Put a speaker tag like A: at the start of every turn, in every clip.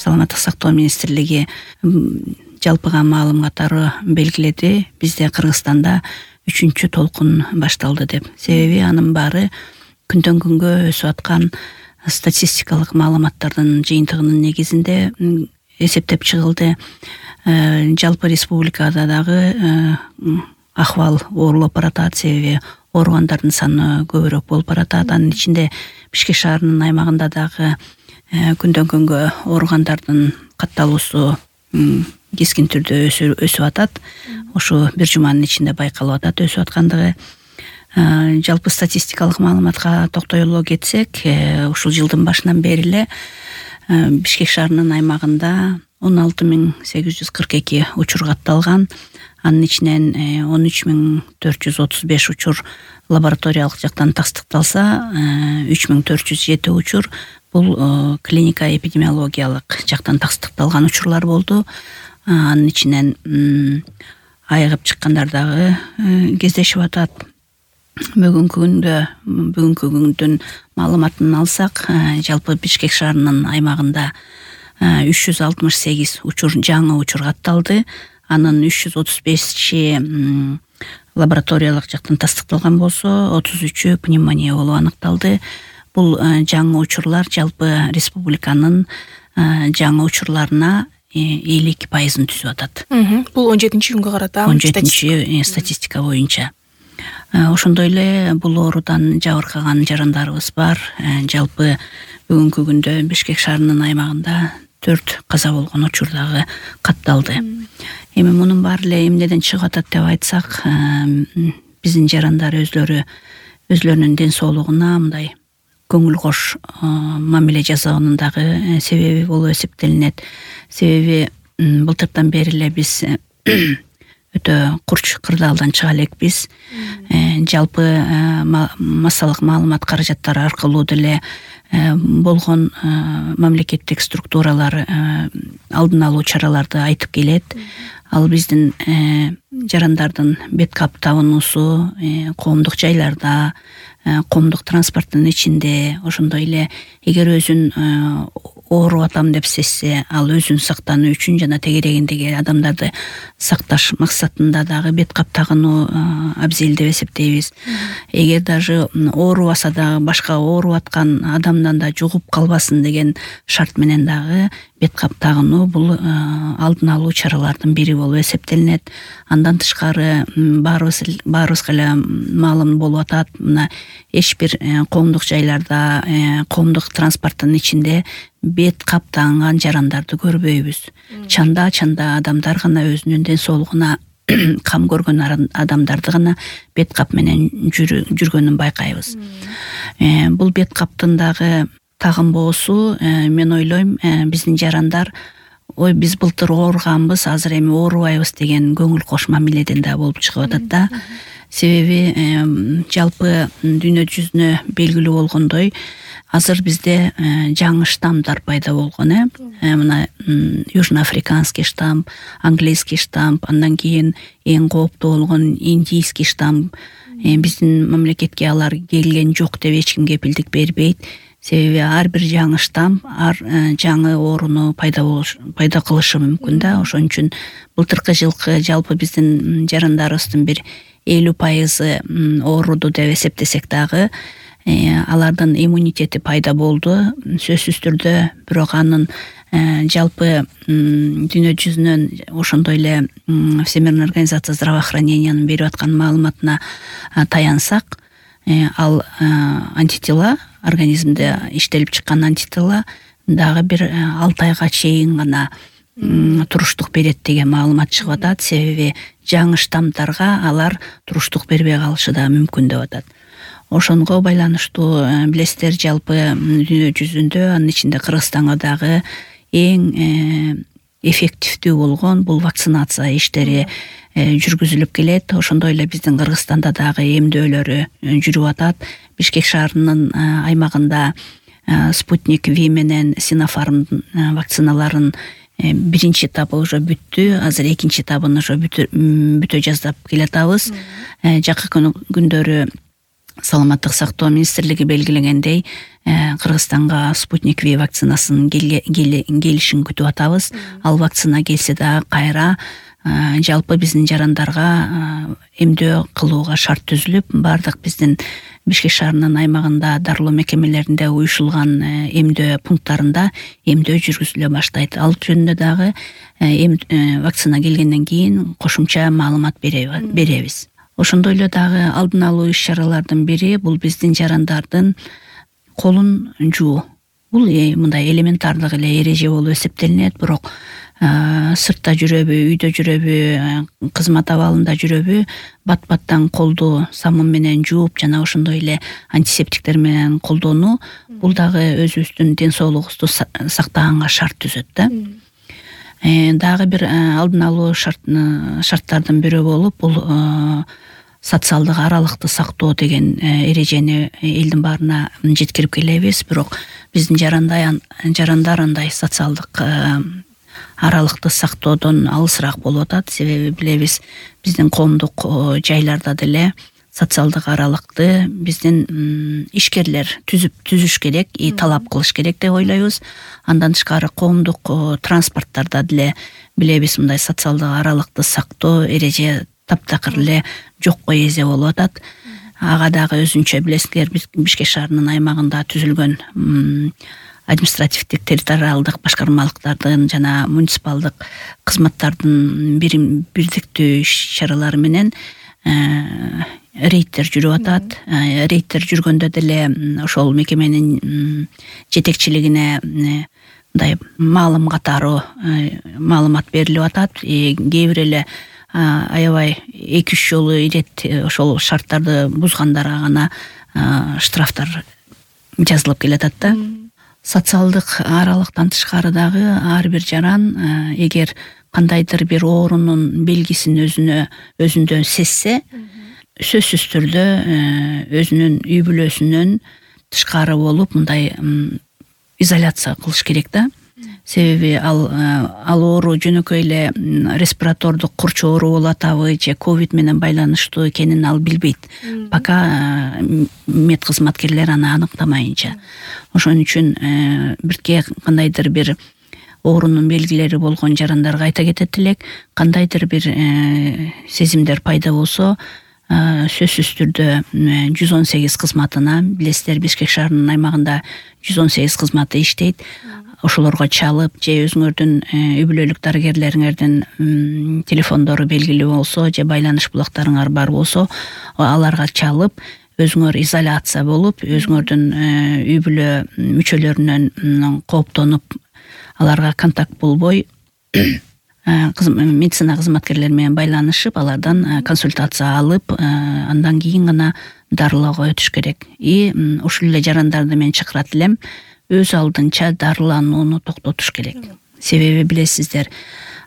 A: саламаттык сактоо министрлиги жалпыга маалым катары белгиледи. Бизде Кыргызстанда 3-чү толкун башталды деп. Себеби анын баары күндөн күнгө өсүп аткан статистикалык маалыматтардын жыйынтыгынын негизинде эсептеп чыгылды. Жалпы республикада дагы акыбал оорлоп баратат, себеби ооругандардын саны көбүрөөк болуп баратат. Анын ичинде Бишкек шаарынын аймагында дагы күндөн күнгө ооругандардын катталуусу кескин түрдө өсүп атат. Ошо бир жуманын ичинде байкалып атат өсүп аткандыгы. Жалпы статистикалык маалыматка токтоло кетсек, ушул жылдын башынан бери эле Бишкек шаарынын аймагында 16842 учур катталган. Анын ичинен 13435 учур лабораториялык жактан тастыкталса, 3407 учур бул клиника эпидемиологиялык жактан тастыкталган учурлар болду. Анын ичинен айыгып чыккандар дагы кездешип атат. Бүгүнкү күндүн маалыматын алсак, жалпы Бишкек шаарынын аймагында 368 учур жаңы учур катталды. Анын 335-чи лабораториялык жактан тастыкталган болсо, 33-ү пневмония болуп аныкталды. Бул жаңы учурлар жалпы республиканын жаңы учурларына 52% түзүп атат.
B: Бул 17-күнгө карата
A: 17-чи статистика боюнча. Ошондой эле бул оорудан жабыркаган жарандарыбыз бар. Жалпы бүгүнкү күндө Бишкек шаарынын аймагында 4 каза болгон учур дагы катталды. Эми мунун баары эле эмнеден чыгып атат деп айтсак, биздин жарандар өзлөрүнүн ден соолугуна мындай көңүл кош мамиле жасаганын дагы себеби болуп эсептелинет. Себеби былтырдан бери эле биз өтө курч кырдаалдан чыга элекпиз. Жалпы массалык маалымат каражаттары аркылуу деле болгон мамлекеттик структуралар алдын алуу чараларды айтып келет. Ал биздин жарандардын бет кап табынуусу коомдук жайларда, коомдук транспорттун ичинде, ошондой эле эгер өзүн ооруп атам деп сезсе, ал өзүн сактануу үчүн жана тегерегиндеги адамдарды сакташ максатында дагы бет кап тагынуу абзел деп эсептейбиз. Эгер даже оорубаса дагы башка ооруп аткан адамдан да жугуп калбасын деген шарт менен дагы бет кап тагынуу бул алдын алуу чаралардын бири болуп эсептелинет. Андан тышкары баарыбызга эле маалым болуп атат, мына эч бир коомдук жайларда, коомдук транспорттун ичинде бет кап тагынган жарандарды көрбөйбүз. Чанда адамдар гана өзүнүн ден соолугуна кам көргөн адамдарды гана бет кап менен жүргөнүн байкайбыз. Бул бет каптын дагы тагынбоосу, мен ойлойм, биздин жарандар биз былтыр ооруганбыз, азыр эми оорубайбыз деген көңүл кош мамиледен да болуп чыгып атат да. Себеби жалпы дүйнө жүзүнө белгилүү болгондой, азыр бизде жаңы штаммдар пайда болгон. Мына южноафриканский штамм, английский штамм, андан кийин эң кооптуу болгон индийский штамм. Биздин мамлекетке алар келген жок деп эч ким кепилдик бербейт. Себеби ар бир жаңы штамм жаңы ооруну пайда кылышы мүмкүн да. Ошон үчүн былтыркы жылкы жалпы биздин жарандарыбыздын бир 50% ооруду деп эсептесек дагы, алардын иммунитети пайда болду сөзсүз түрдө. Бирок анын жалпы дүйнө жүзүнөн ошондой эле Всемирная организация здравоохранениянын берип аткан маалыматына таянсак, ал антитела, организмде иштелип чыккан антитела дагы бир 6 айга чейин гана туруштук берет деген маалымат чыгып атат. Себеби жаңы штаммдарга алар туруштук бербей калышы да мүмкүн деп атат. Ошонго байланыштуу билесиздер, жалпы дүйнө жүзүндө, анын ичинде Кыргызстанга дагы эң эффективдүү болгон бул вакцинация иштери жүргүзүлүп келет. Ошондой эле биздин Кыргызстанда дагы эмдөөлөрү жүрүп атат. Бишкек шаарынын аймагында Спутник V менен Синофарм вакциналарын биринчи этабы уже бүттү. Азыр экинчи этабын уже бүтө жаздап келатабыз. Жакын күндөрү саламаттык сактоо министрлиги белгилегендей Кыргызстанга Спутник V вакцинасынын келишин күтүп атабыз. Ал вакцина келсе дагы кайра жалпы биздин жарандарга эмдөө кылууга шарт түзүлүп, бардык биздин Бишкек шаарынын аймагында дарылоо мекемелеринде уюшулган эмдөө пункттарында эмдөө жүргүзүлө баштайт. Ал жөнүндө дагы вакцина келгенден кийин кошумча маалымат беребиз. Ошондой эле дагы алдын алуу иш-чаралардын бири бул биздин жарандардын колун жуу. Бул мындай элементардык эле эреже болуп эсептелинет, бирок сыртта жүрөбү, үйдө жүрөбү, кызмат абалында жүрөбү, бат-баттан колду самун менен жууп жана ошондой эле антисептиктер менен колдонуу бул дагы өзүбүздүн ден соолугубузду сактаганга шарт түзөт да. Дагы бир алдын алуу шарттардын бири болуп, бул социалдык аралыкты сактоо деген эрежени элдин баарына жеткирип келебиз, бирок биздин жарандар андай социалдык аралыкты сактоодон алысыраак болуп атат. Себеби билебиз, биздин коомдук жайларда деле социалдык аралыкты биздин ишкерлер түзүш керек, талап кылыш керек деп ойлойбуз. Андан тышкары коомдук транспорттарда деле билебиз, мындай социалдык аралыкты сактоо эреже таптакыр эле жокко эзе болуп атат. Ага дагы өзүнчө билесиздер, Бишкек шаарынын аймагында түзүлгөн административдик территориалдык башкармалыктардын жана муниципалдык кызматтардын бирдиктүү иш-чаралары менен рейдтер жүрүп атат. Рейдтер жүргөндө деле ошол мекеменин жетекчилигине мындай маалым катары маалымат берилип атат. Кээ бир эле аябай 2-3 жолу ирет ошол шарттарды бузгандарга гана штрафтар жазылып келатат да. Социалдык аралыктан тышкары дагы ар бир жаран эгер кандайдыр бир оорунун белгисин өзүндө сезсе, сөзсүз түрдө өзүнүн үй бүлөсүнөн тышкары болуп мындай изоляция кылыш керек да. Себеби ал оору жөнөкөй эле респиратордук курч оору болуп атабы же ковид менен байланыштуу экенин ал билбейт, пока мед кызматкерлер аны аныктамайынча. Ошон үчүн бирке кандайдыр бир оорунун белгилери болгон жарандарга айта кетет элек, кандайдыр бир сезимдер пайда болсо, сөзсүз түрдө 118 кызматына, билесиздер, Бишкек шаарынын аймагында 118 кызматы иштейт. Ошолорго чалып, же өзүңөрдүн үй бүлөлүк дарыгерлериңердин телефондору белгилүү болсо, же байланыш булактарыңар бар болсо, аларга чалып, өзүңөр изоляция болуп, өзүңөрдүн үй бүлө мүчөлөрүнөн кооптонуп, аларга контакт болбой, медицина кызматкерлери менен байланышып, алардан консультация алып, андан кийин гана дарылоого өтүш керек. Ушул эле жарандарды мен чакырат элем, өз алдынча дарыланууну токтотуш керек. Себеби билесиздер,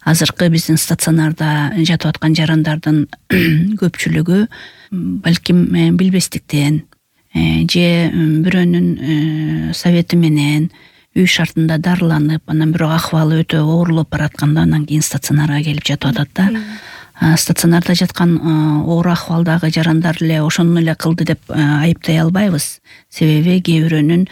A: азыркы биздин стационарда жатып аткан жарандардын көпчүлүгү балким билбестиктен же бирөөнүн совети менен үй шартында дарыланып, анан бирок акыбалы өтө оорлоп баратканда анан кийин стационарга келип жатып атат да. Стационарда жаткан оор акыбалдагы жарандар эле ошону эле кылды деп айыптай албайбыз. Себеби кээ бирөөнүн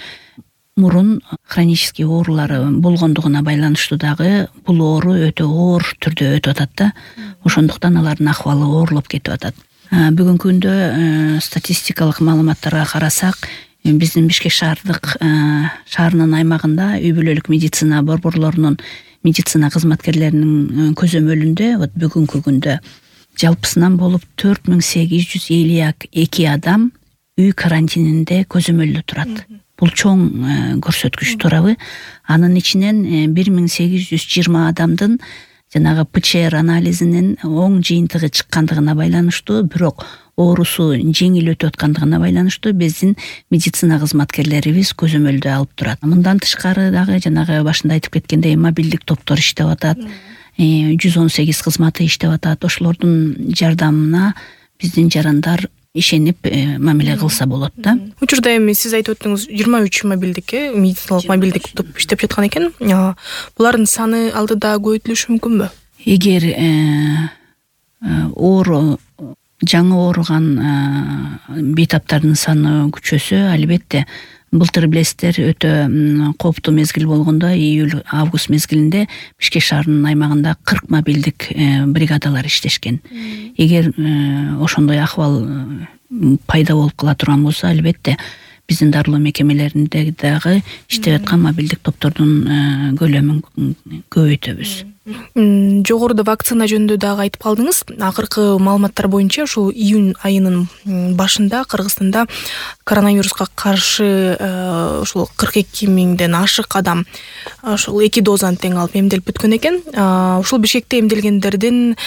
A: мурун хронический оорулары болгондугуна байланыштуу дагы бул оору өтө оор түрдө өтүп атат да. Ошондуктан алардын акыбалы оорлоп кетип атат. Бүгүнкү күндө статистикалык маалыматтарга карасак, биздин Бишкек шаарынын аймагында үй бүлөлүк медицина борборлорунун медицина кызматкерлеринин көзөмөлүндө бүгүнкү күндө жалпысынан болуп 4852 адам үй карантининде көзөмөлдө турат. Бул чоң көрсөткүч, туурабы? Анын ичинен 1820 адамдын жанагы ПЧР анализинин оң жыйынтыгы чыккандыгына байланыштуу, бирок оорусу жеңил өтүп аткандыгына байланыштуу биздин медицина кызматкерлерибиз көзөмөлдө алып турат. Мындан тышкары дагы жанагы башында айтып кеткендей мобилдик топтор иштеп атат. 118 кызматы иштеп атат. Ошолордун жардамына биздин жарандар ишенип мамиле кылса болот да.
B: Учурда эми сиз айтып өттүңүз 23 мобилдик медициналык мобилдик топ иштеп жаткан экен. Булардын саны алдыда көбөйтүлүшү мүмкүнбү?
A: Эгер оор жаңы ооруган бейтаптардын саны күчөсө, албетте былтыр билесиздер өтө кооптуу мезгил болгондо июль-август мезгилинде Бишкек шаарынын аймагында 40 мобилдик бригадалар иштешкен. Эгер ошондой акыбал пайда болуп кала турган болсо, албетте биздин дарылоо мекемелеринде дагы иштеп аткан мобилдик топтордун көлөмүн көбөйтөбүз.
B: Жогоруда вакцина жөнүндө дагы айтып калдыңыз. Акыркы маалыматтар боюнча ушул июнь айынын башында Кыргызстанда коронавируска каршы ушул 42 миңден ашык адам ушул 2 дозаны тең алып эмделип бүткөн экен. Ушул Бишкекте эмделгендердин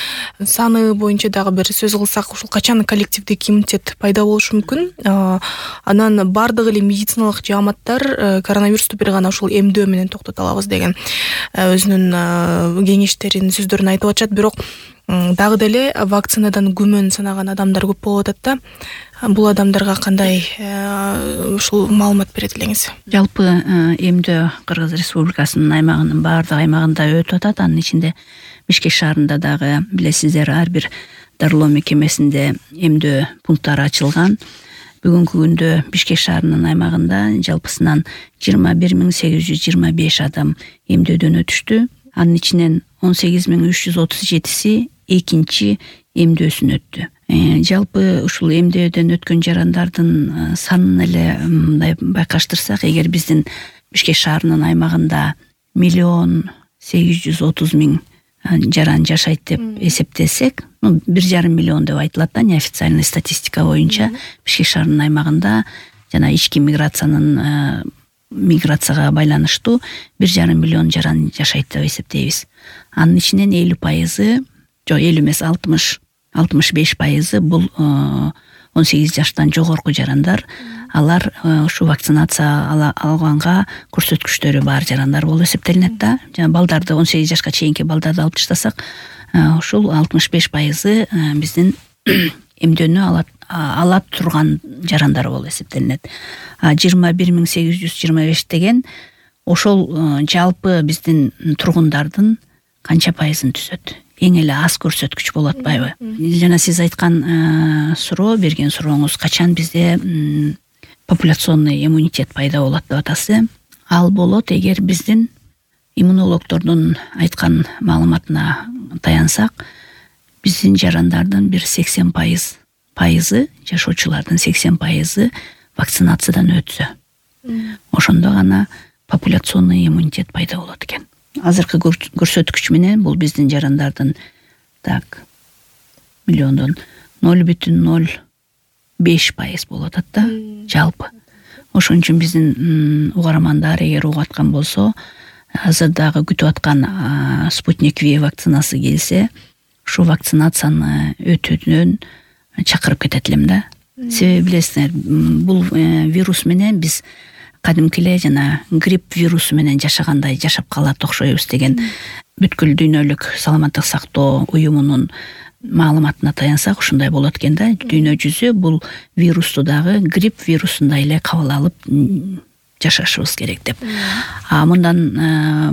B: саны боюнча дагы бир сөз кылсак, ушул качан коллективдик иммунитет пайда болушу мүмкүн? Анан бардык эле медициналык жааматтар коронавирусту бир гана ушул эмдөө менен токтото алабыз деген өзүнүн кеңештерин, сөздөрүн айтып атышат. Бирок дагы деле вакцинадан күмөн санаган адамдар көп болуп атат да. Бул адамдарга кандай ушул маалымат берет элеңиз?
A: Жалпы эмдөө Кыргыз Республикасынын аймагынын баардык аймагында өтүп атат. Анын ичинде Бишкек шаарында дагы билесиздер, ар бир дарылоо мекемесинде эмдөө пункттары ачылган. Бүгүнкү күндө Бишкек шаарынын аймагында жалпысынан 21.825 адам эмдөөдөн өтүштү. Анын ичинен 18.337 экинчи эмдөөсүн өттү. Жалпы ушул эмдөөдөн өткөн жарандардын санын эле мындай байкаштырсак, эгер биздин Бишкек шаарынын аймагында 1.830.000 жаран жашайт деп эсептесек, 1,5 миллион деп айтылат да, неофициальный статистика боюнча. Бишкек шаарынын аймагында жана ички миграцияга байланыштуу 1,5 миллион жаран жашайт деп эсептейбиз. Анын ичинен 50%, жок 50 эмес, 65% бул 18 жаштан жогорку жарандар. Алар ушу вакцинация алганга көрсөткүчтөрү бар жарандар болуп эсептелинет да. Жана балдарды, 18 жашка чейинки балдарды алып таштасак, ушул 65% биздин эмдөөнү ала турган жарандар болуп эсептелинет. 21.825 деген ошол жалпы биздин тургундардын канча пайызын түзөт? Эң эле аз көрсөткүч болуп атпайбы? Жана сиз айткан суроо, берген сурооңуз, качан бизде популяционный иммунитет пайда болот деп атасыз. Ал болот эгер биздин иммунологдордун айткан маалыматына таянсак, биздин жарандардын бир 80% жашоочулардын 80% вакцинациядан өтсө, ошондо гана популяционный иммунитет пайда болот экен. Азыркы көрсөткүч менен бул биздин жарандардын миллиондон 0,05% болуп атат да, жалпы. Ошон үчүн биздин угармандар эгер угуп аткан болсо, азыр дагы күтүп аткан Спутник V вакцинасы келсе, ушу вакцинацияны өтүүдөн чакырып кетет элем да. Себеби билесиздер, бул вирус менен биз кадимки эле жана грипп вирусу менен жашагандай жашап калат окшойбуз деген бүткүл дүйнөлүк саламаттык сактоо уюмунун маалыматына таянсак, ушундай болот экен да. Дүйнө жүзү бул вирусту дагы грипп вирусундай эле кабыл алып жашашыбыз керек деп. Мындан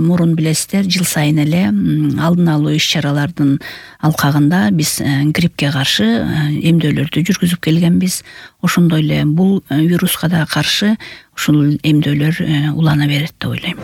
A: мурун билесиздер, жыл сайын эле алдын алуу иш-чаралардын алкагында биз гриппке каршы эмдөөлөрдү жүргүзүп келгенбиз. Ошондой эле бул вируска да каршы ушул эмдөөлөр улана берет деп ойлойм.